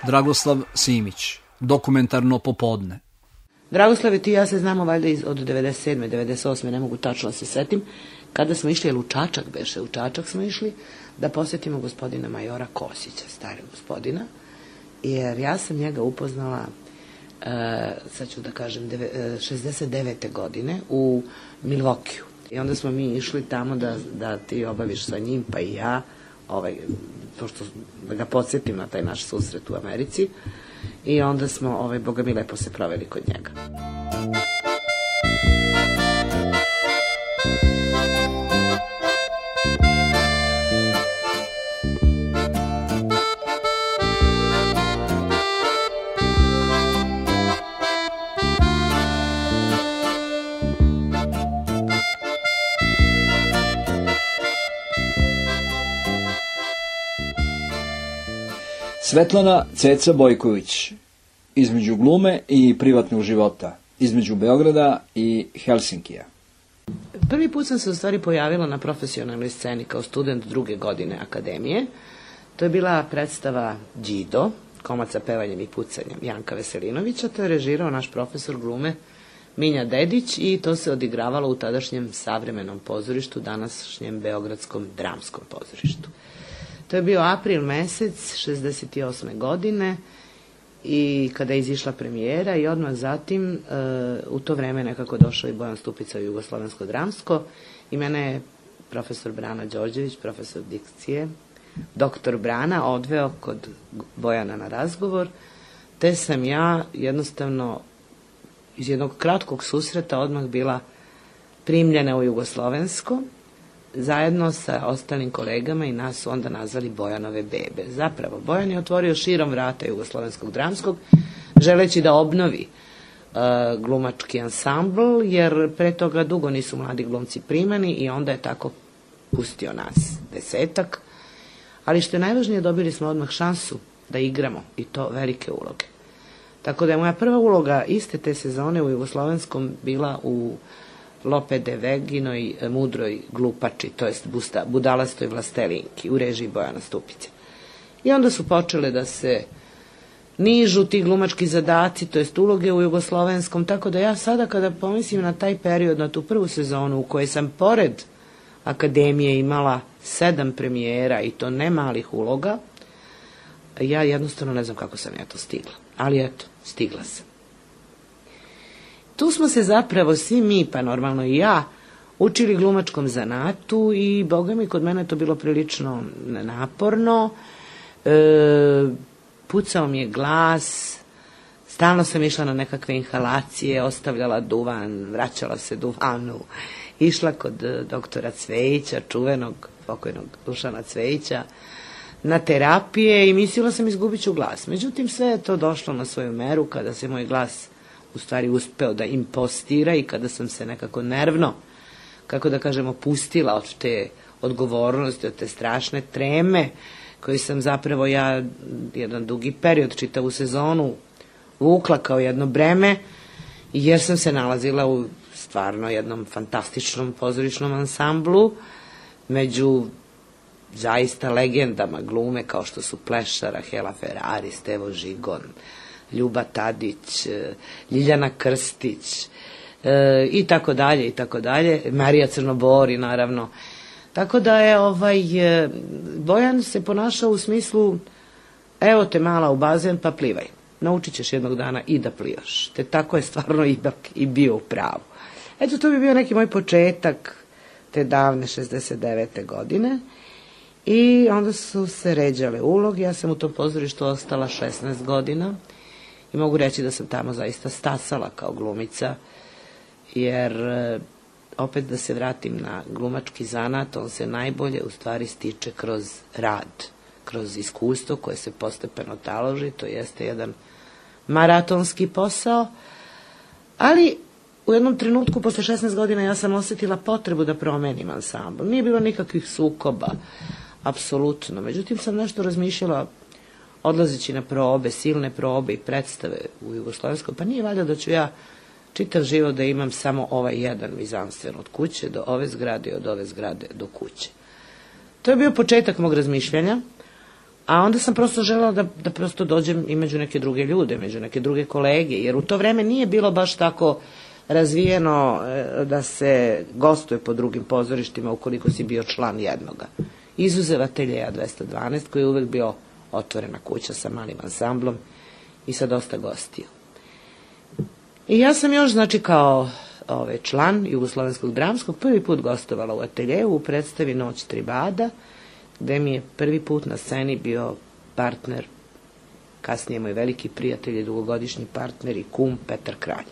Dragoslav Simić, dokumentarno popodne. Dragoslav i ti ja se znamo valjda od 97. 98. ne mogu tačno se setim, kada smo išli, u Čačak smo išli da posjetimo gospodina majora Kosića, starog gospodina, jer ja sam njega upoznala, sad ću da kažem, 69. godine u Milvokiju. I onda smo mi išli tamo da ti obaviš sa njim, pa i ja, pošto da ga podsjetim na taj naš susret u Americi, i onda smo, boga mi, lepo se proveli kod njega. Svetlana Ceca Bojković, između glume i privatnog života, između Beograda i Helsinkija. Prvi put sam se u stvari pojavila na profesionalnoj sceni kao student 2. godine akademije. To je bila predstava Đido, komad sa pevanjem i pucanjem Janka Veselinovića. To je režirao naš profesor glume Minja Dedić i to se odigravalo u tadašnjem savremenom pozorištu, današnjem Beogradskom dramskom pozorištu. To je bio april mesec 68. godine i kada je izišla premijera i odmah zatim u to vreme nekako došao i Bojan Stupica u Jugoslovensko dramsko i mene je profesor Brana Đorđević, profesor dikcije, doktor Brana, odveo kod Bojana na razgovor, te sam ja jednostavno iz jednog kratkog susreta odmah bila primljena u Jugoslovensko, zajedno sa ostalim kolegama i nas su onda nazvali Bojanove bebe. Zapravo, Bojan je otvorio širom vrata Jugoslovenskog dramskog, želeći da obnovi glumački ansambl, jer pre toga dugo nisu mladi glumci primani i onda je tako pustio nas 10. Ali što je najvažnije, dobili smo odmah šansu da igramo i to velike uloge. Tako da je moja prva uloga iste te sezone u Jugoslovenskom bila u Lope de Veginoj mudroj glupači, to jest budalastoj vlastelinki u režiji Bojana Stupice. I onda su počele da se nižu ti glumački zadaci, to jest uloge u Jugoslovenskom, tako da ja sada kada pomislim na taj period, na tu prvu sezonu u kojoj sam pored akademije imala 7 premijera i to ne malih uloga, ja jednostavno ne znam kako sam ja to stigla. Ali eto, stigla sam. Tu smo se zapravo svi mi, pa normalno i ja, učili glumačkom zanatu i, boga mi, kod mene je to bilo prilično naporno. Pucao mi je glas, stalno sam išla na nekakve inhalacije, ostavljala duvan, vraćala se duvanu, išla kod doktora Cvejića, čuvenog, pokojnog Dušana Cvejića, na terapije i mislila sam izgubit ću glas. Međutim, sve je to došlo na svoju meru kada se moj glas u stvari uspeo da impostira i kada sam se nekako nervno, kako da kažemo, pustila od te odgovornosti, od te strašne treme koju sam zapravo ja jedan dugi period, čitavu sezonu, vukla kao jedno breme, jer sam se nalazila u stvarno jednom fantastičnom pozorišnom ansamblu među zaista legendama glume kao što su Plešara, Hela Ferrari, Stevo Žigon, Ljuba Tadić, Ljiljana Krstić i tako dalje, i tako dalje, Marija Crnobori naravno. Tako da je Bojan se ponašao u smislu, evo te mala u bazen pa plivaj, naučit ćeš jednog dana i da plivaš. Te tako je stvarno ipak i bio u pravu. Eto, to bi bio neki moj početak te davne 69. godine i onda su se ređale uloge. Ja sam u tom pozorištu ostala 16 godina i mogu reći da sam tamo zaista stasala kao glumica, jer opet da se vratim na glumački zanat, on se najbolje u stvari stiče kroz rad, kroz iskustvo koje se postepeno taloži, to jeste jedan maratonski posao, ali u jednom trenutku, posle 16 godina, ja sam osjetila potrebu da promenim ansambl. Nije bilo nikakvih sukoba, apsolutno. Međutim, sam nešto razmišljala, odlazeći na probe, silne probe i predstave u Jugoslovenskom, pa nije valjda da ću ja čitav život da imam samo ovaj jedan mizanstven od kuće do ove zgrade i od ove zgrade do kuće. To je bio početak mog razmišljanja, A onda sam prosto želela da prosto dođem i među neke druge ljude, među neke druge kolege, jer u to vreme nije bilo baš tako razvijeno da se gostuje po drugim pozorištima ukoliko si bio član jednoga. Izuzev Ateljeja 212, koji je uvek bio otvorena kuća sa malim ansamblom i sa dosta gostiju. I ja sam još, znači, kao član Jugoslovenskog dramskog prvi put gostovala u Ateljeju u predstavi Noć Tribada, gde mi je prvi put na sceni bio partner, kasnije moj veliki prijatelj i dugogodišnji partner i kum Petar Kralj.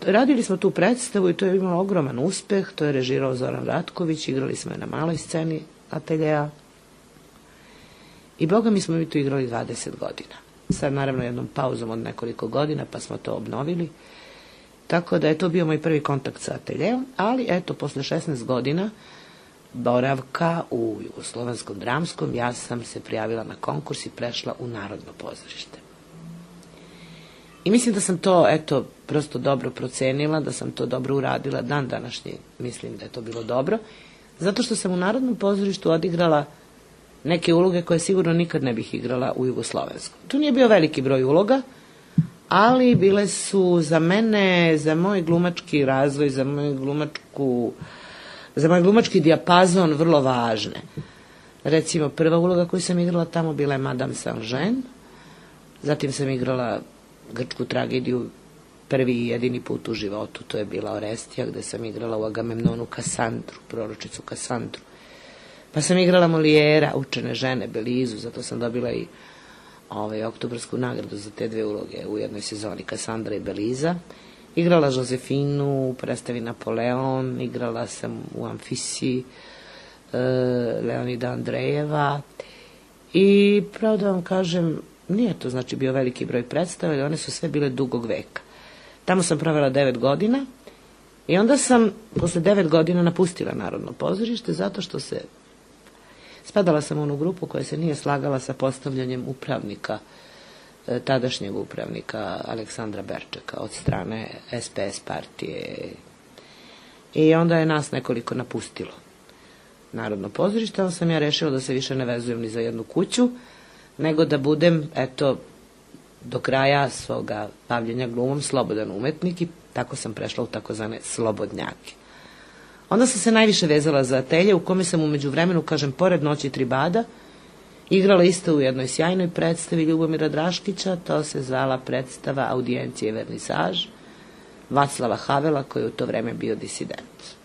Radili smo tu predstavu i to je imalo ogroman uspeh, to je režirao Zoran Ratković, igrali smo je na maloj sceni Ateljeja i boga mi smo tu igrali 20 godina. Sad naravno jednom pauzom od nekoliko godina pa smo to obnovili, tako da je to bio moj prvi kontakt sa Ateljejom, ali eto, posle 16 godina boravka u Jugoslovenskom dramskom, ja sam se prijavila na konkurs i prešla u Narodno pozorište. I mislim da sam to, eto, prosto dobro procenila, da sam to dobro uradila, dan današnji mislim da je to bilo dobro, zato što sam u Narodnom pozorištu odigrala neke uloge koje sigurno nikad ne bih igrala u Jugoslovenskom. Tu nije bio veliki broj uloga, ali bile su za mene, za moj glumački razvoj, za moj glumački dijapazon vrlo važne. Recimo, prva uloga koju sam igrala tamo bila je Madame Saint-Jean, zatim sam igrala grčku tragediju prvi i jedini put u životu, to je bila Orestija, gde sam igrala u Agamemnonu Kasandru, proročicu Kasandru. Pa sam igrala Molijera, Učene žene, Belizu, zato sam dobila i oktobarsku nagradu za te dve uloge u jednoj sezoni, Kasandra i Beliza. Igrala Josefinu u predstavi Napoleon, igrala sam u Amfisiji Leonida Andrejeva i pravo da vam kažem, nije to znači bio veliki broj predstava, ali one su sve bile dugog veka. Tamo sam provela 9 godina i onda sam posle 9 godina napustila Narodno pozorište zato što spadala sam u onu grupu koja se nije slagala sa postavljanjem upravnika, tadašnjeg upravnika Aleksandra Berčeka od strane SPS partije. I onda je nas nekoliko napustilo Narodno pozorište, ali sam ja rešila da se više ne vezujem ni za jednu kuću, nego da budem, eto, do kraja svoga bavljenja glumom slobodan umetnik i tako sam prešla u takozvane slobodnjake. Onda sam se najviše vezala za Atelje, u kome sam umeđu vremenu, kažem, pored Noći Tribada, igrala isto u jednoj sjajnoj predstavi Ljubomira Draškića, to se zvala predstava Audijencije i vernisaž Vaclava Havela, koji je u to vreme bio disident.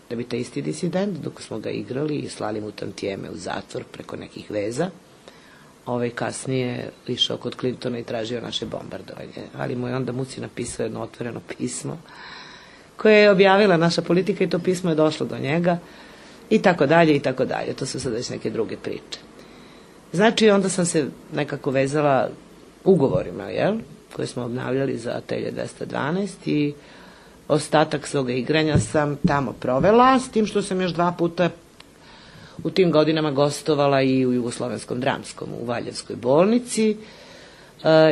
Da bi taj isti disident, dok smo ga igrali i slali mu tantijeme u zatvor preko nekih veza, kasnije išao kod Clintona i tražio naše bombardovanje. Ali mu je onda Muci napisao jedno otvoreno pismo koje je objavila naša politika i to pismo je došlo do njega i tako dalje i tako dalje. To su sad već neke druge priče. Znači, onda sam se nekako vezala ugovorima, koje smo obnavljali za Atelje 212 i ostatak svoga igranja sam tamo provela, s tim što sam još 2 puta u tim godinama gostovala i u Jugoslovenskom dramskom, u Valjevskoj bolnici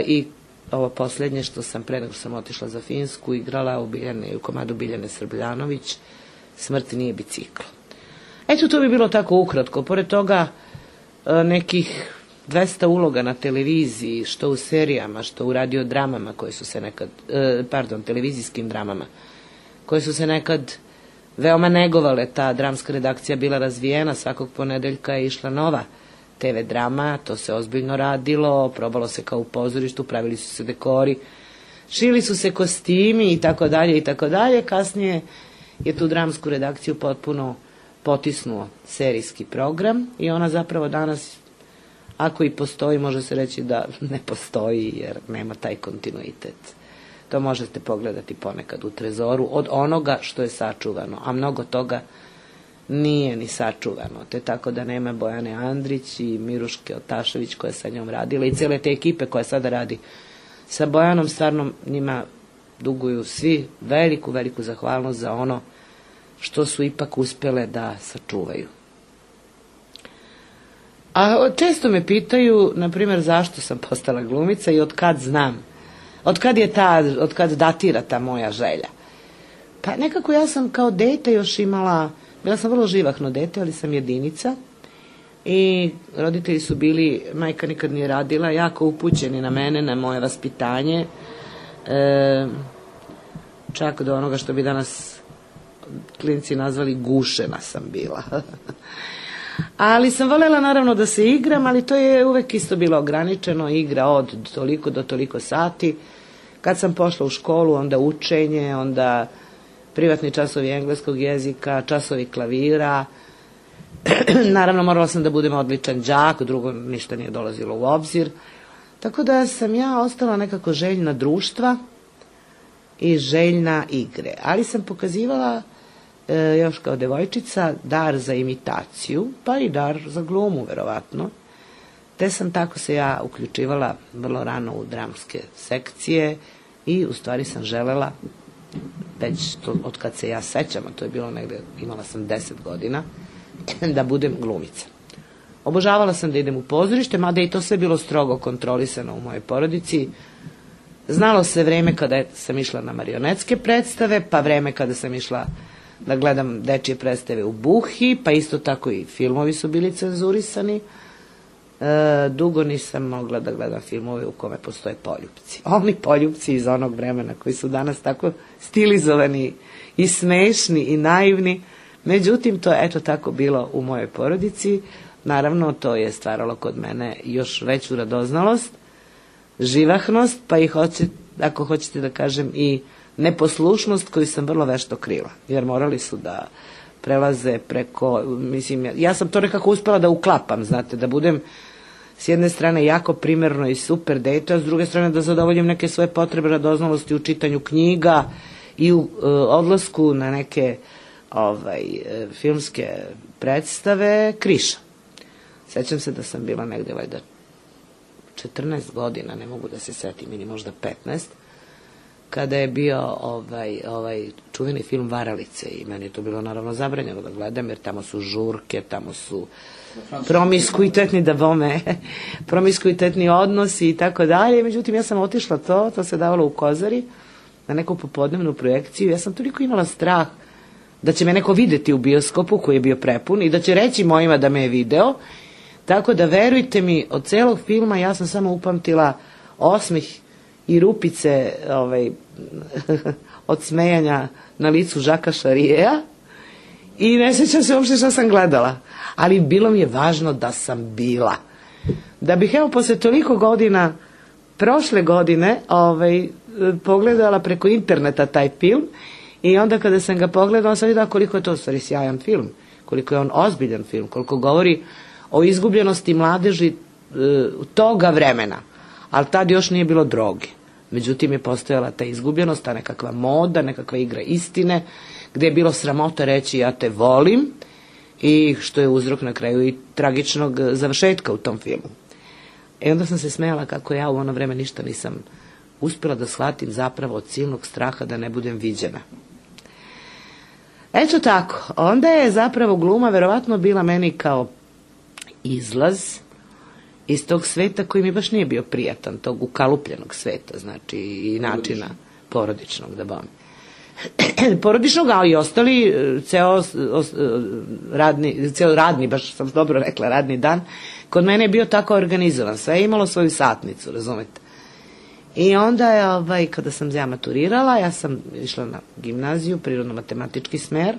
i ovo posljednje što sam pre nego sam otišla za Finsku igrala u komadu Biljane Srbljanović Smrt nije biciklo. Eto, to bi bilo tako ukratko. Pored toga nekih 200 uloga na televiziji, što u serijama, što u radiodramama koje su se nekad, televizijskim dramama, koje su se nekad veoma negovale. Ta dramska redakcija bila razvijena, svakog ponedeljka je išla nova TV drama, to se ozbiljno radilo, probalo se kao u pozorištu, pravili su se dekori, šili su se kostimi i tako dalje i tako dalje. Kasnije je tu dramsku redakciju potpuno potisnuo serijski program i ona zapravo danas, ako i postoji, može se reći da ne postoji jer nema taj kontinuitet. To možete pogledati ponekad u trezoru od onoga što je sačuvano, a mnogo toga nije ni sačuvano, te tako da nema Bojane Andrić i Miruške Otašević koja je sa njom radila i cijele te ekipe koja sada radi sa Bojanom, stvarno njima duguju svi veliku zahvalnost za ono što su ipak uspjele da sačuvaju. A često me pitaju, na primjer, zašto sam postala glumica i od kad znam, od kad datira ta moja želja. Pa nekako ja sam kao dete još imala, bila sam vrlo živahno dete, ali sam jedinica, I roditelji su bili, majka nikad nije radila, jako upućeni na mene, na moje vaspitanje, čak do onoga što bi danas klinci nazvali gušena sam bila. Ali sam voljela naravno da se igram, ali to je uvek isto bilo ograničeno, igra od toliko do toliko sati. Kad sam pošla u školu, onda učenje, onda privatni časovi engleskog jezika, časovi klavira. Naravno, morala sam da budem odličan đak, drugo ništa nije dolazilo u obzir. Tako da sam ja ostala nekako željna društva i željna igre. Ali sam pokazivala još kao devojčica dar za imitaciju, pa i dar za glumu, verovatno. Te sam tako se ja uključivala vrlo rano u dramske sekcije i u stvari sam želela, već to, od kad se ja sećam, a to je bilo negde, imala sam 10 godina, da budem glumica. Obožavala sam da idem u pozorište, mada i to sve bilo strogo kontrolisano u mojoj porodici. Znalo se vreme kada sam išla na marionetske predstave, pa vreme kada sam išla da gledam dečije predstave u Buhi, pa isto tako i filmovi su bili cenzurisani. Dugo nisam mogla da gledam filmove u kome postoje poljupci. Oni poljupci iz onog vremena koji su danas tako stilizovani i smešni i naivni. Međutim, to je eto tako bilo u mojoj porodici. Naravno, to je stvaralo kod mene još veću radoznalost, živahnost, pa i ako hoćete da kažem i neposlušnost koju sam vrlo vešto krila. Jer morali su da prelaze preko, mislim, ja sam to nekako uspela da uklapam, znate, da budem s jedne strane jako primerno i super dete, a s druge strane da zadovoljim neke svoje potrebe radoznalosti u čitanju knjiga i u odlasku na neke filmske predstave Kriša. Sećam se da sam bila negde valjda 14 godina, ne mogu da se setim, ili možda 15, kada je bio ovaj čuveni film Varalice i meni je to bilo naravno zabranjeno da gledam, jer tamo su žurke, tamo su promiskuitetni odnosi i tako dalje. Međutim, ja sam otišla to se davalo u Kozari na neku popodnevnu projekciju. Ja sam toliko imala strah da će me neko videti u bioskopu koji je bio prepun i da će reći mojima da me je video. Tako da, verujte mi, od celog filma ja sam samo upamtila osmeh i rupice od smejanja na licu Žaka Šarijeja i ne sjećam se uopšte što sam gledala. Ali bilo mi je važno da sam bila. Da bih, evo, posle toliko godina, prošle godine, pogledala preko interneta taj film i onda kada sam ga pogledala, sam videla koliko je to u stvari sjajan film, koliko je on ozbiljan film, koliko govori o izgubljenosti mladeži toga vremena. Ali tad još nije bilo droge. Međutim, je postojala ta izgubljenost, ta nekakva moda, nekakva igra istine, gde je bilo sramota reći ja te volim i što je uzrok na kraju i tragičnog završetka u tom filmu. I onda sam se smejala kako ja u ono vreme ništa nisam uspjela da shvatim zapravo od silnog straha da ne budem viđena. Eto tako, onda je zapravo gluma verovatno bila meni kao izlaz iz tog sveta koji mi baš nije bio prijatan, tog ukalupljenog sveta, znači i načina porodičnog, da bom. Porodičnog, a i ostali, ceo radni, baš sam dobro rekla, radni dan, kod mene je bio tako organizovan, sve je imalo svoju satnicu, razumete. I onda je, kada sam ja maturirala, ja sam išla na gimnaziju, prirodno-matematički smer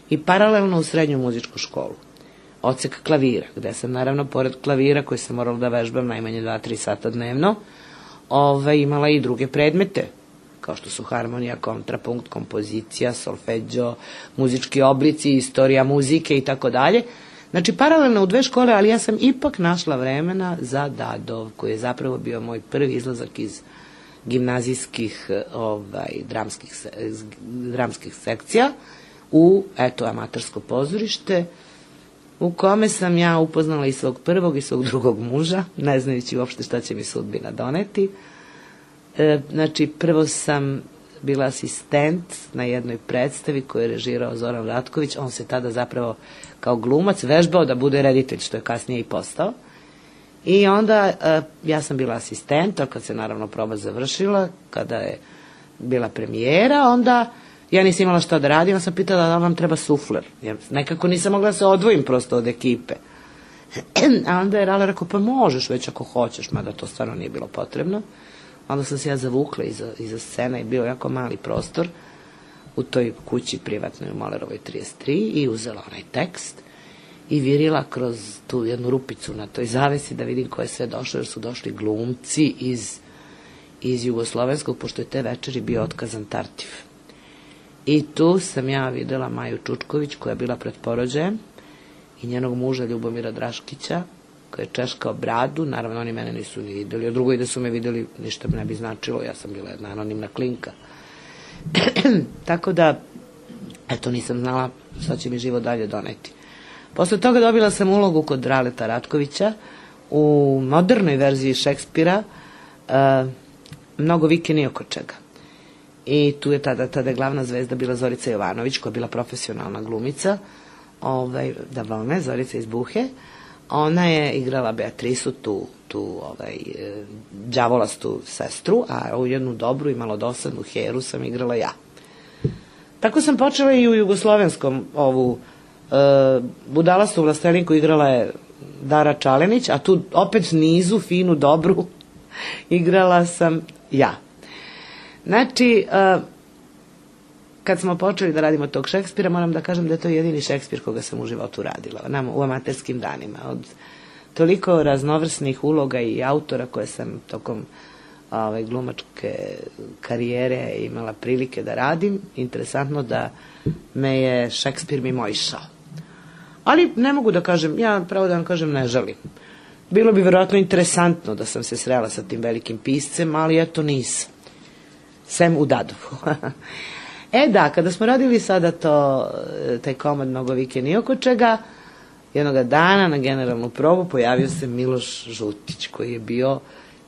i paralelno u srednju muzičku školu. Odsek klavira, gde sam naravno pored klavira koji sam morala da vežbam najmanje 2-3 sata dnevno, imala i druge predmete, kao što su harmonija, kontrapunkt, kompozicija, solfeđo, muzički oblici, istorija muzike i tako dalje. Znači, paralelno u 2 škole, ali ja sam ipak našla vremena za Dadov, koji je zapravo bio moj prvi izlazak iz gimnazijskih dramskih sekcija u, amatersko pozorište, u kome sam ja upoznala i svog prvog i svog drugog muža, ne znajući uopšte šta će mi sudbina doneti. Znači, prvo sam bila asistent na jednoj predstavi koju je režirao Zoran Ratković. On se tada zapravo kao glumac vežbao da bude reditelj, što je kasnije i postao. I onda ja sam bila asistent, a kad se naravno proba završila, kada je bila premijera, onda ja nisam imala šta da radim, ja sam pitala da nam treba sufler, jer nekako nisam mogla da se odvojim prosto od ekipe. A onda je Rale rekao, pa možeš već ako hoćeš, mada to stvarno nije bilo potrebno. Onda sam se ja zavukla iza scena i bio jako mali prostor u toj kući privatnoj u Molerovoj 33 i uzela onaj tekst i virila kroz tu jednu rupicu na toj zavesi da vidim ko je sve došlo, jer su došli glumci iz jugoslovenskog, pošto je te večeri bio otkazan Tartif. I tu sam ja videla Maju Čučković, koja je bila pred porođajem, i njenog muža Ljubomira Draškića, koji je češkao bradu. Naravno, oni mene nisu ni videli. A drugo i da su me videli, ništa me ne bi značilo. Ja sam bila jedna anonimna klinka. Tako da, eto, nisam znala šta će mi život dalje doneti. Posle toga dobila sam ulogu kod Raleta Ratkovića u modernoj verziji Šekspira, Mnogo vike ni oko čega. I tu je tada je glavna zvezda bila Zorica Jovanović, koja je bila profesionalna glumica, Zorica iz Buhe. Ona je igrala Beatrisu, tu đavolastu sestru, a u jednu dobru i malo dosadnu Heru sam igrala ja. Tako sam počela i u jugoslovenskom ovu budalastu vlastelinku igrala je Dara Čalenić, a tu opet nizu, finu, dobru igrala sam ja. Znači, kad smo počeli da radimo tog Šekspira, moram da kažem da je to jedini Šekspir koga sam u životu radila, u amaterskim danima. Od toliko raznovrsnih uloga i autora koje sam tokom glumačke karijere imala prilike da radim, interesantno da me je Šekspir mimoišao. Ali ne mogu da kažem, ja pravo da vam kažem ne žalim. Bilo bi verovatno interesantno da sam se srela sa tim velikim piscem, ali eto nisam. Sem u Dadovu. Da, kada smo radili sada taj komad Mnogo vike ni oko čega, jednoga dana na generalnu probu pojavio se Miloš Žutić, koji je bio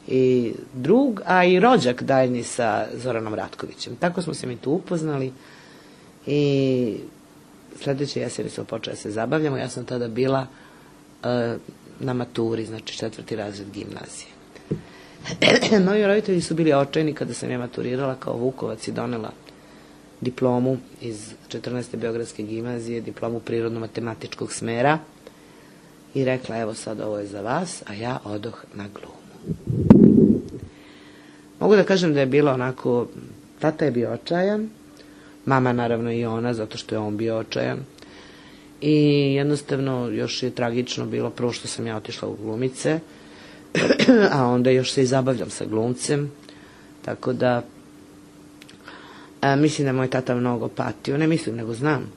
i drug, a i rođak daljni sa Zoranom Ratkovićem. Tako smo se mi tu upoznali i sledeće jeseni smo počeli da se zabavljamo. Ja sam tada bila na maturi, znači 4. razred gimnazije. Moji roditelji su bili očajni kada sam ja maturirala kao Vukovac i donela diplomu iz 14. Beogradske gimnazije, diplomu prirodno-matematičkog smera i rekla, evo sad ovo je za vas, a ja odoh na glumu. Mogu da kažem da je bilo onako, tata je bio očajan, mama naravno i ona, zato što je on bio očajan, i jednostavno još je tragično bilo prvo što sam ja otišla u glumice, a onda još se i zabavljam sa glumcem, tako da mislim da je moj tata mnogo patio, ne mislim nego znam,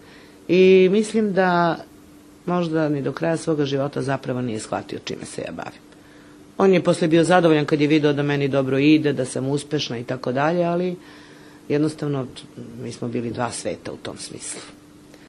i mislim da možda ni do kraja svoga života zapravo nije shvatio čime se ja bavim. On je posle bio zadovoljan kad je video da meni dobro ide, da sam uspešna i tako dalje, ali jednostavno mi smo bili dva sveta u tom smislu.